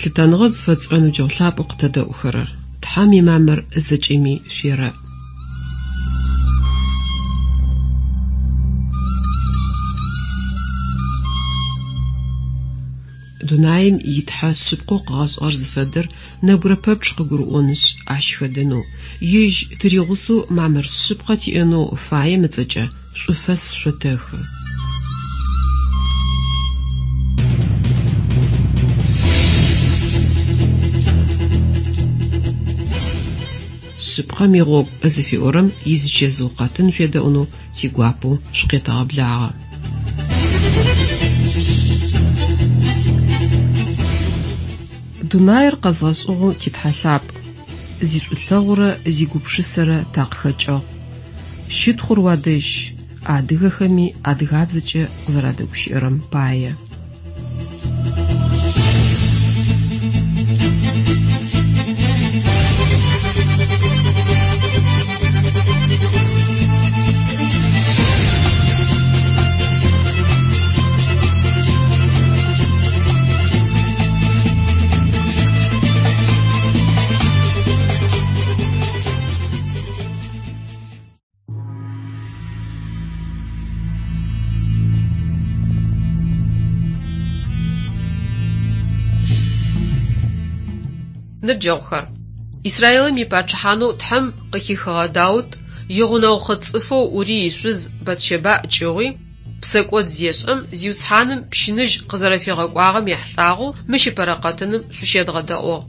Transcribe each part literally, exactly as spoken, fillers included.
Лъытэныгъэ зыфэтшӏырэ ныбджэгъу лъапӏэу къытэдэӏухэрэр! Тхьэм имамыр зэкӏэми шъуерэӏ! Дунаим итхьэ шъыпкъэу къыгъэшӏыгъэр зыфэдэр нэбгырэ пэпчъ къыгурыӏонышъ, ащ хэдэнэу, ежь тыригъусэу мамыр шъыпкъэ тиӏэнэу фаем ыцӏэкӏэ шӏуфэс шъотэхы. Шъыпкъэм игъогу зыфиӏорэм изычэзыу къэтын шъуедэӏунэу тигуапэу шъукъетэгъэблагъэ. Дунаир къэзгъэшӏыгъэу титхьэ лъапӏ, зишӏулъэгъурэ зигупшысэрэ такъыхэкӏыгъ. Щытхъур уадэжь, адыгэхэми адыгабзэкӏэ къызэрадэгущыӏэрэм пае. Ныбджэгъухэр, Израилым ипачъыхьанэу Тхьэм къыхихыгъэ Даут игъунэгъу хъыт цӏыфэу Урый ишъуз Батщэбаӏ кӏыгъуи, псэкӏод зешӏэм Зиусхьаным пщыныжь къызэрэфигъэкӏуагъэм ехьылӏагъэу мыщ ыпэрэ къэтыным шъущедгъэдэӏугъ.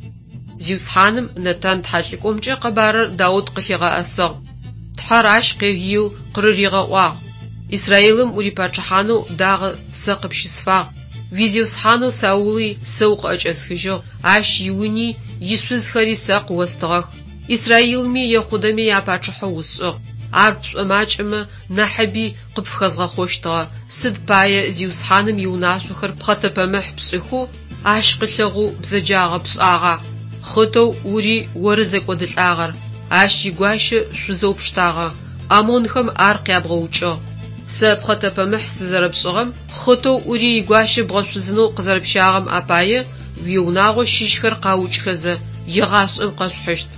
Зиусхьаным Нэтан тхьэлӏыкӏомкӏэ къэбарыр Даут къылъигъэӏэсыгъ. Тхьэр ащ къегыеу къырыригъэӏуагъ: Израилым урипачъыхьанэу дагъэ сэ къыпщысфагъ, уизиусхьанэу Саули сэ укъыӏэкӏэсхыжьыгъ, ащ иуни ишъузхэри сэ къыостыгъэх. Израилми Ехъудэми япачъыхьэу усшӏыгъ. Ар пшӏомакӏэмэ нахьыби къыпфыхэзгъэхъощтыгъэ. Сыд пае Зиусхьаным иунашъохэр пхъэтэпэмыхь пшӏыхэу, ащ къылъэгъоу бзэджагъэ пшӏагъа? Хъытэу Урый оры зэкӏодылӏагъэр, ащ игуащэ шъузэу пштагъэ, ӏамонхэм ар къябгъэукӏыгъ. Сэ пхъэтэпэмыхь сызэрэпшӏыгъэм, хъытэу Урый игуащэ бгъэшъузынэу къызэрэпщагъэм апае уиунагъо щыщхэр къаукӏхэзэ егъашӏэм къэшъухьыщт.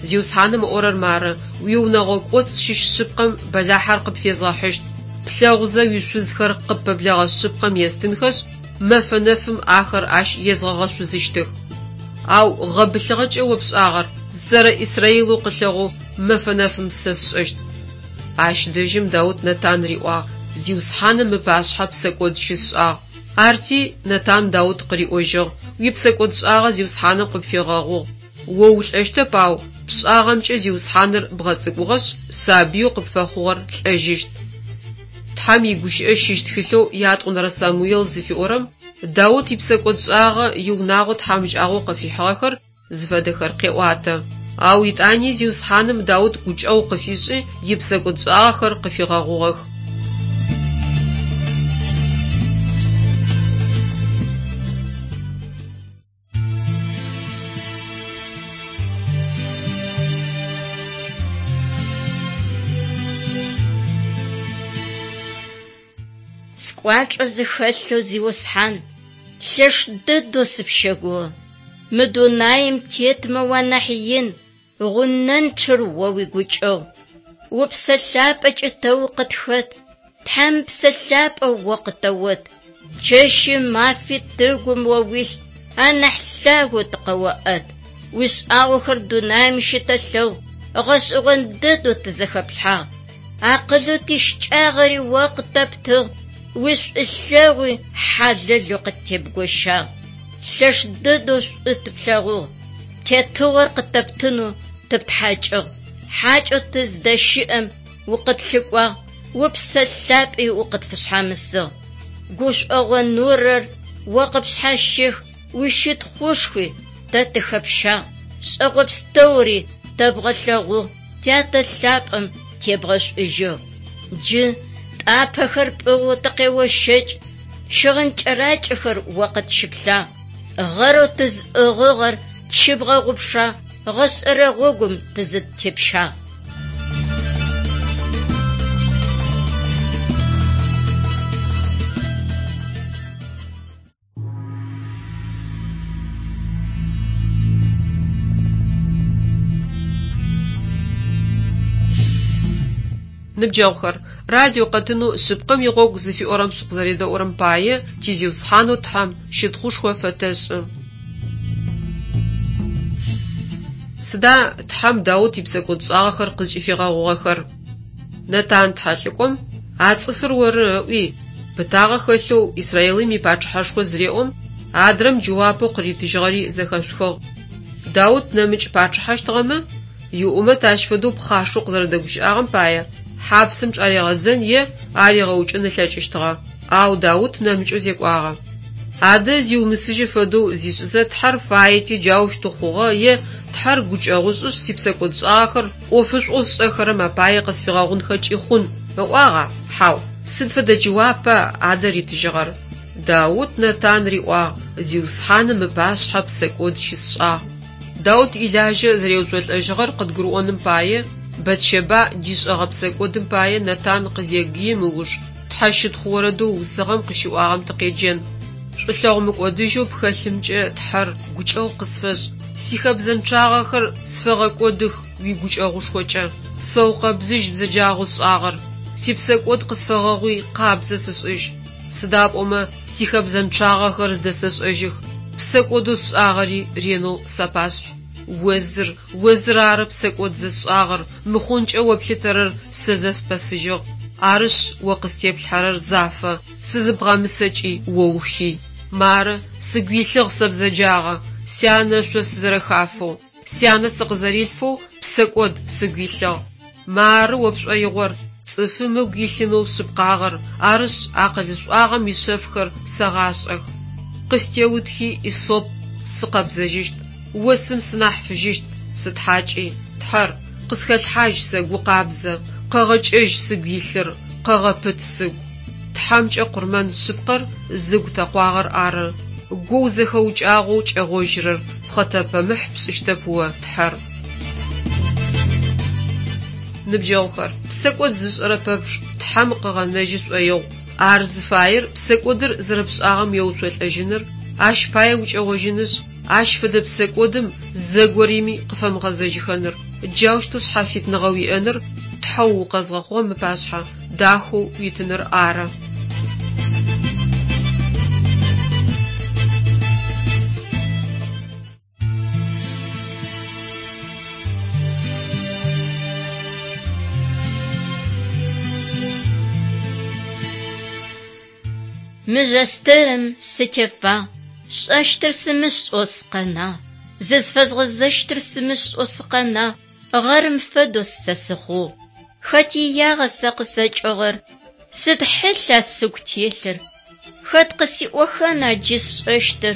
Зиусхьаным ыӏорэр мары: уиунэгъо кӏоцӏ щыщ шъыпкъэм бэлахьэр къыпфезгъэхьыщт. Плъэгъузэ уишъузхэр къыппэблэгъэ шъыпкъэм естынхэшъ, мэфэ нэфым ахэр ащ езгъэгъэшъузыщтых. Ау гъэбылъыгъэкӏэ о пшӏагъэр зэрэ Израилэу къылъэгъоу мэфэ нэфым сэ сшӏэщт. Ащ дэжьым Даут Нэтан риӏуагъ: Зиусхьаным ыпашъхьэ псэкӏод щысшӏагъ. Арти Нэтан Даут къыриӏожьыгъ: Уипсэкӏодшӏагъэ Зиусхьаным къыпфигъэгъугъ. О улӏэщтэп, ау пшӏагъэмкӏэ Зиусхьаныр бгъэцӏыкӏугъэшъ, сабыеу къыпфэхъугъэр лӏэжьыщт. Тхьэм игущыӏэ щыщ тхылъэу ятӏонэрэ Самуел зыфиӏорэм Даут ипсэкӏодшӏагъэ иунагъо тхьамыкӏагъоу къыфихьыгъэхэр зыфэдэхэр къеӏуатэ. Ау итӏани Зиусхьаным Даут гукӏэгъу къыфишӏи ипсэкӏодшӏагъэхэр къыфигъэгъугъэх. Скӏуачӏэ зыхэлъэу Зиусхьан, лъэш дэдэу сыпщэгугъы. Мы дунаим тетмэ уанахь ин, гъунэнчъэр о уигукӏэгъу. Упсэ лъапӏэкӏэ тэ укъытхэт, Тхьэм псэ лъапӏэу о къытэот. Чэщи мафи тыгум о уилъ, анахь лъагэу тыкъэоӏэт. Уишӏагъохэр дунаим щытэлъэгъу, гъэшӏэгъон дэдэу тызэхэплъхьагъ. Акъылэу тищыкӏагъэри о къытэптыгъ, уишӏулъэгъуи хьалэлэу къыттебгощагъ. Лъэш дэдэу шӏу тыплъэгъугъ, тетыгъор къытэптынэу тыптхьакӏыгъ. Хьакӏэу тыздэщыӏэм укъытлъыкӏуагъ, упсэ лъапӏи укъытфышъхьамысыгъ. Гушӏогъо нурэр о къыпшъхьащех, уищытхъушхуи тэ тыхэпщагъ. Шӏэгъо пстэури тэбгъэлъэгъугъ, тятэ лъапӏэм тебгъэшӏужьыгъ. Джы тӏапэхэр пӏыгъэу тыкъеощэкӏ, щыгъын кӏэракӏэхэр о къытщыплъагъ. Гъэрэу тызӏыгъыгъэр тщыбгъэгъупшагъ, гъэшӏэрэ гъогум тызытепщагъ. Ныбджэгъухэр, радио къэтынэу «Шъыпкъэм игъогу» зыфиӏорэм шъукъызэредэӏурэм пае ти Зиусхьанэу Тхьэм щытхъушхо фэтэшӏы. Сыда Тхьэм Даут ипсэкӏодшӏагъэхэр къызкӏыфигъэгъугъэхэр? Нэтан тхьэлӏыкӏом «А цӏыфыр оры» ыӏуи, пытагъэ хэлъэу Израилым ипачъыхьэшхо зыреӏом, адрэм джэуапэу къыритыжьыгъэри зэхэшъухыгъ. Даут нэмыкӏ пачъыхьэщтыгъэмэ, иӏумэт ащ фэдэу пхъашэу къызэрэдэгущыӏагъэм пае хьапсым чӏаригъэдзэн е аригъэукӏын ылъэкӏыщтыгъэ, ау Даут нэмыкӏэу зекӏуагъэ. Адэ зиумысыжьы фэдэу зишӏызэ Тхьэр фаети джаущтэу хъугъэ е Тхьэр гукӏэгъушӏышъ сипсэкӏодшӏагъэхэр ӏофышӏоу сшӏэхэрэм апае къысфигъэгъунхэкӏи хъун ыӏуагъа? Хьау. Сыд фэдэ джэуапа адэ ритыжьыгъэр? Даут Нэтан риӏуагъ: «Зиусхьаным ыпашъхьэ псэкӏод щысшӏагъ». Даут илажьэ зэреуцолӏэжьыгъэр къыдгурыӏоным пае Бэтщэбэ дишӏэгъэ псэкӏодым пае Нэтан къызегыим ыуж тхьэщытхъу орэдэу ыусыгъэм къыщиӏуагъэм тыкъеджэн. Шӏулъэгъу мыкӏодыжьэу пхэлъымкӏэ, Тхьэр, гукӏэгъу къысфэшӏ, сихэбзэнчъагъэхэр сфэгъэкӏодых уигукӏэгъушхокӏэ. Сфэукъэбзыжь бзэджагъэу сшӏагъэр, сипсэкӏод къысфэгъэгъуи къабзэ сышӏыжь. Сыда пӏомэ сихэбзэнчъагъэхэр зыдэсэшӏэжьых, псэкӏодэу сшӏагъэри ренэу сапашъхь. О зыр, о зыр ары псэкӏод зэсшӏагъэр, мыхъункӏэ о плъытэрэр сэ зэспэсыжьыгъ. Арышъ, о къыстеплъхьэрэр зафэ, сызыбгъэмысэкӏи о ухый. Мары, сыгу илъыгъ сэ бзэджагъэ, сянэ ышъо сызэрэхафэу, сянэ сыкъызэрилъфэу псэкӏод сыгу илъыгъ. Мары о пшӏоигъор: цӏыфым ыгу илъынэу шъыпкъагъэр, арышъ, акъылышӏуагъэм ишъэфхэр сэгъашӏэх. Къыстеутхи иссоп, сыкъэбзэжьыщт, осым сынахь фыжьыщт, сытхьакӏи. Тхьэр, къысхэлъхьажь сэ гу къабзэ, къэгъэкӏэжь сыгу илъыр, къэгъэпыт сыгу. Тхьэмкӏэ къурмэн шъыпкъэр зыгу тэкъуагъэр ары. Гоу зэхэукӏагъэу кӏэгъожьырэр пхъэтэпэмыхь пшӏыщтэп о, Тхьэр. Ныбджэгъухэр, псэкӏод зышӏэрэ пэпчъ Тхьэм къыгъэнэжьы шӏоигъу. Ар зыфаер псэкӏодыр зэрэпшӏагъэм еуцолӏэжьыныр, ащ пае укӏэгъожьынышъ, ащ фэдэ псэкӏодым зэгорэми къыфэмыгъэзэжьыхэныр, джаущтэу шъхьафитныгъэ уиӏэныр, Тхьэу укъэзгъэхъугъэм ыпашъхьэ дахэу уитыныр ары. Мыжъостырым сытефагъ, сшӏэщтыр сымышӏэу сыкъэнагъ, зызфэзгъэзэщтыр сымышӏэу сыкъэнагъ, гъэрым фэдэу сэ сыхъугъ. Хэт иягъа сэ къысэкӏыгъэр? Сыд хьылъа сыгу телъыр? Хэт къысиӏохэна джы сшӏэщтыр?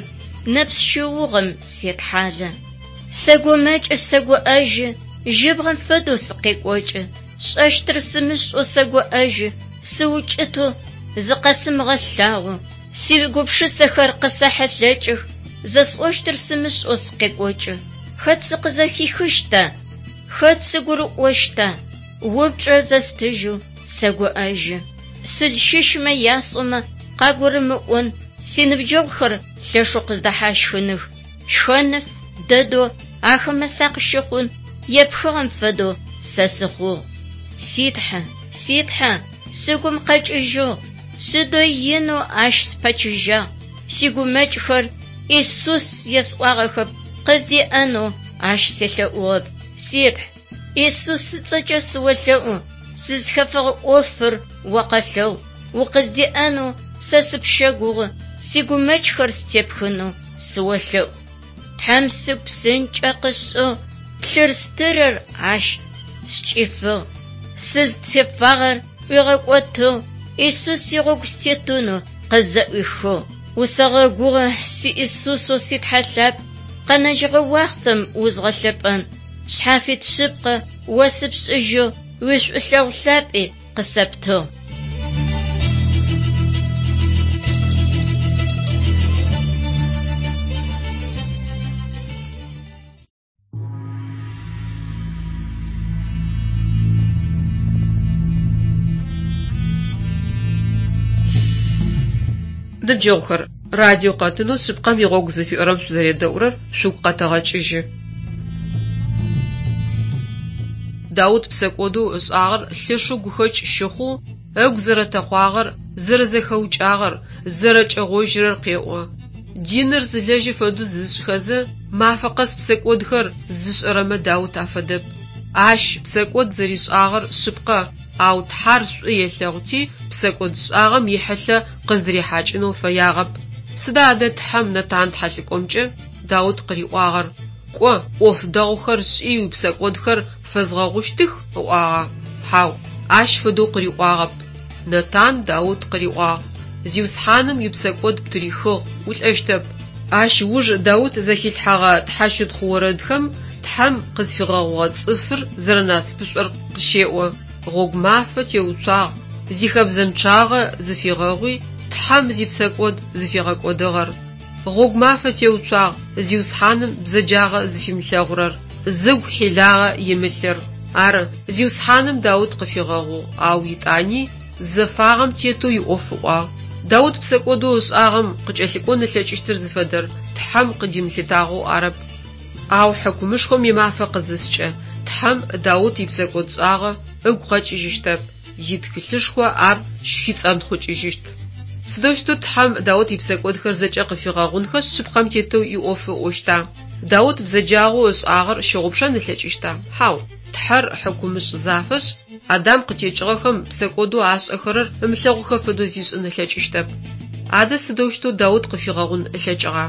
Нэпс щыугъэм сетхьалэ. Сэгумэкӏы, сэгуӏэжьы, жьыбгъэм фэдэу сыкъекӏокӏы. Сшӏэщтыр сымышӏэу сэгуӏэжьы, сыукӏытэу зыкъэсымыгъэлъагъо. Сигупшысэхэр къысэхьылъэкӏых, зэсӏощтыр сымышӏэу сыкъекӏокӏы. Хэт сыкъызэхихыщта? Хэт сыгурыӏощта? Упчӏэр зэстыжьэу сэгуӏэжьы. Сыл щыщмэ ясӏомэ къагурымыӏон, синыбджэгъухэр лъэшэу къыздэхьащхыных. Шхэныф дэдэу ахэмэ сакъыщыхъун, епхыгъэм фэдэу сэ сыхъугъ. Си Тхьэ, си Тхьэ, сыгум къэкӏыжьыгъ, сыдэу инэу ащ спэчыжьагъ. Сигумэкӏхэр Исус есӏуагъэхэп, къыздеӏэнэу ащ селъэӏугъэп. Си Тхь, Исус ыцӏэкӏэ сыолъэӏу, сызхэфэгъэ ӏофыр о къэлъэгъу. Укъыздеӏэнэу сэ сыпщэгугъы, сигумэкӏхэр степхынэу сыолъэӏу. Тхьэм сыгу псынкӏэ къышӏыгъ, плъыр-стырыр ащ скӏифыгъ. Сызтефагъэр ӏуигъэкӏотыгъ, Исус игъогу сытетынэу къызэӏуихыгъ. Усэгъэгугъэ си Исусэу си Тхьэ лъапӏ, къэнэжьыгъэ уахътэм узгъэлъэпӏэн. Шъхьафит шъыпкъэ о сыпшӏыжьыгъ, уишӏулъэгъу лъапӏи къысэптыгъ. Ныбджэгъухэр, радио къэтынэу «Шъыпкъэм игъогу» зыфиӏорэм шъузэредэӏурэр шъугу къэтэгъэкӏыжьы. Даут псэкӏодэу ышӏагъэр лъэшэу гухэкӏ щыхъоу, ыгу зэрэтэкъуагъэр, зэрэзэхэукӏагъэр, зэрэкӏэгъожьырэр къеӏо. Диныр зылэжьы фэдэу зышӏхэзэ, мафэ къэс псэкӏодхэр зышӏэрэмэ Даут афэдэп. Ащ псэкӏод зэришӏагъэр шъыпкъэ, ау Тхьэр шӏу елъэгъути, псэкӏодшӏагъэм ихьылъэ къыздырихьакӏынэу фэягъэп. Сыда адэ Тхьэм Нэтан тхьэлӏыкӏомкӏэ Даут къыриӏуагъэр: «Кӏо, ӏоф дэгъухэр шӏи уипсэкӏодхэр пфэзгъэгъущтых» ыӏуагъа? Хьау, ащ фэдэу къыриӏуагъэп. Нэтан Даут къыриӏуагъ: «Зиусхьаным уипсэкӏод птырихыгъ, улӏэщтэп». Ащ ыуж Даут зэхилъхьэгъэ тхьэщытхъу орэдхэм Тхьэм къызфигъэгъугъэ цӏыфыр зэрэнасыпышӏор къыщеӏо: «Гъогу мафэ теуцуагъ, зихэбзэнчъагъэ зыфигъэгъуи, Тхьэм зипсэкӏод зыфигъэкӏодыгъэр. Гъогу мафэ теуцуагъ, Зиусхьаным бзэджагъэ зыфимылъэгъурэр, зыгу хьилагъэ имылъыр». Ары, Зиусхьаным Даут къыфигъэгъугъ, ау етӏани зэфагъэм тетэу иӏоф ыӏуагъ. Даут псэкӏодэу ышӏагъэм къыкӏэлъыкӏон ылъэкӏыщтыр зыфэдэр Тхьэм къыдимылъытагъэу арэп. Ау хьыкумышхом имафэ къызыскӏэ, Тхьэм Даут ипсэкӏодшӏагъэ ыгу къэкӏыжьыщтэп, итхылъышхо ар щыхицӏэнтхъукӏыжьыщт. Сыдэущтэу Тхьэм Даут ипсэкӏодхэр зэкӏэ къыфигъэгъунхэшъ шъыпкъэм тетэу иӏоф ыӏощта? Даут бзэджагъэу ышӏагъэр щыгъупшэн ылъэкӏыщта? Хьау. Тхьэр хьыкумышӏ зафэшъ, Адам къытекӏыгъэхэм псэкӏодэу ашӏэхэрэр ымылъэгъухэ фэдэу зишӏын ылъэкӏыщтэп. Адэ сыдэущтэу Даут къыфигъэгъун ылъэкӏыгъа?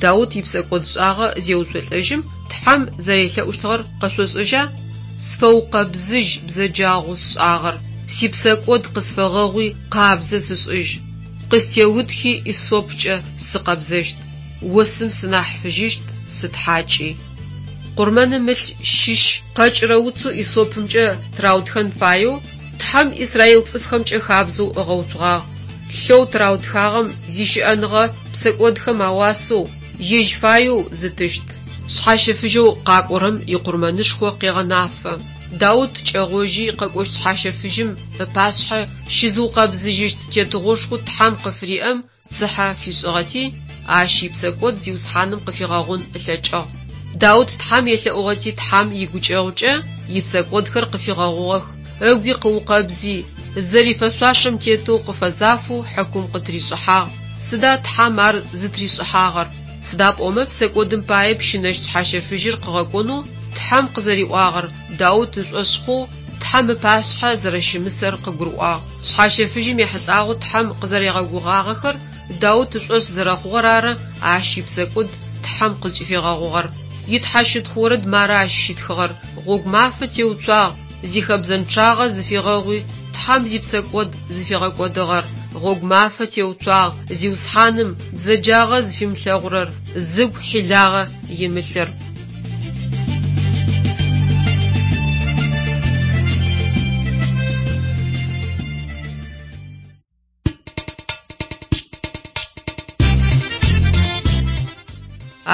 Даут ипсэкӏодшӏагъэ зеуцолӏэжьым Тхьэм зэрелъэӏущтыгъэр къэшъошӏэжьа? «Сфэукъэбзыжь бзэджагъэу сшӏагъэр, сипсэкӏод къысфэгъэгъуи къабзэ сышӏыжь. Къыстеутхи Иссопкӏэ сыкъэбзэщт, осым сынахь фыжьыщт, сытхьакӏи». Къурмэным ылъ щыщ къэкӏырэ уцэу Иссопымкӏэ тыраутхэн фаеу Тхьэм Израил цӏыфхэмкӏэ хабзэу ыгъэуцугъагъ. Лъэу тыраутхагъэм зищыӏэныгъэ псэкӏодхэм ауасэу, ежь фаеу зытыщт. Шъхьащэфыжьэу къакӏорэм икъурмэнышхо къегъэнафэ. Даут кӏэгъожьи къэкӏощт шъхьащэфыжьым ыпашъхьэ щызыукъэбзыжьыщт тетыгъошхоу Тхьэм къыфыриӏэм цыхьэ фишӏыгъэти, ащ ипсэкӏод Зиусхьаным къыфигъэгъун ылъэкӏыгъ. Даут Тхьэм елъэӏугъэти Тхьэм игукӏэгъукӏэ ипсэкӏодхэр къыфигъэгъугъэх, ыгуи къыукъэбзи, зэрифэшъуашэм тетэу къыфэзафэу хьыкум къытришӏыхьагъ. Сыда Тхьэм ар зытришӏыхьагъэр? Сыда пӏомэ псэкӏодым пае пщынэщт шъхьащэфыжьыр къыгъэкӏонэу Тхьэм къызэриӏуагъэр Даут ышӏошъ хъоу Тхьэм ыпашъхьэ зэрэщымысэр къыгурыӏуагъ. Шъхьащэфыжьым ехьылӏагъэу Тхьэм къызэригъэгугъагъэхэр Даут ышӏошъ зэрэхъугъэр ары ащ ипсэкӏод Тхьэм къызкӏыфигъэгъугъэр. Итхьэщытхъу орэд мары ащ щитхыгъэр: «Гъогу мафэ теуцуагъ, зихэбзэнчъагъэ зыфигъэгъуи, Тхьэм зипсэкӏод зыфигъэкӏодыгъэр. Гъогу мафэ теуцуагъ, Зиусхьаным бзэджагъэ зыфимылъэгъурэр, зыгу хьилагъэ имылъыр».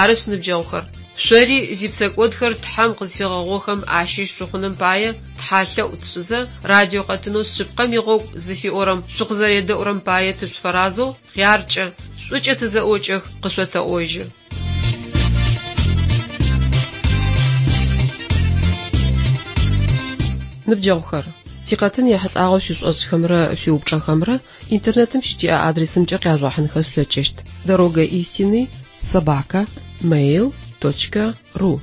Арышъ, ныбджэгъухэр, шъори зипсэкӏодхэр Тхьэм къызфигъэгъугъэхэм ащыщ шъухъуным пае тхьалъэӏу тшӏызэ, радио къэтынэу Шъыпкъэм игъогу зыфиӏорэм шъукъызэредэӏурэм пае тышъуфэразэу хъяркӏэ, шӏукӏэ тызэӏокӏэх къышъотэӏожьы. Ныбджэгъухэр, тикъэтын ехьылӏагъэу шъуишӏошӏхэмрэ шъуиупчӏэхэмрэ интернетым щытиӏэ адресымкӏэ къяжъугъэхьынхэ шъулъэкӏыщт: дорога истины собака mail точка ру.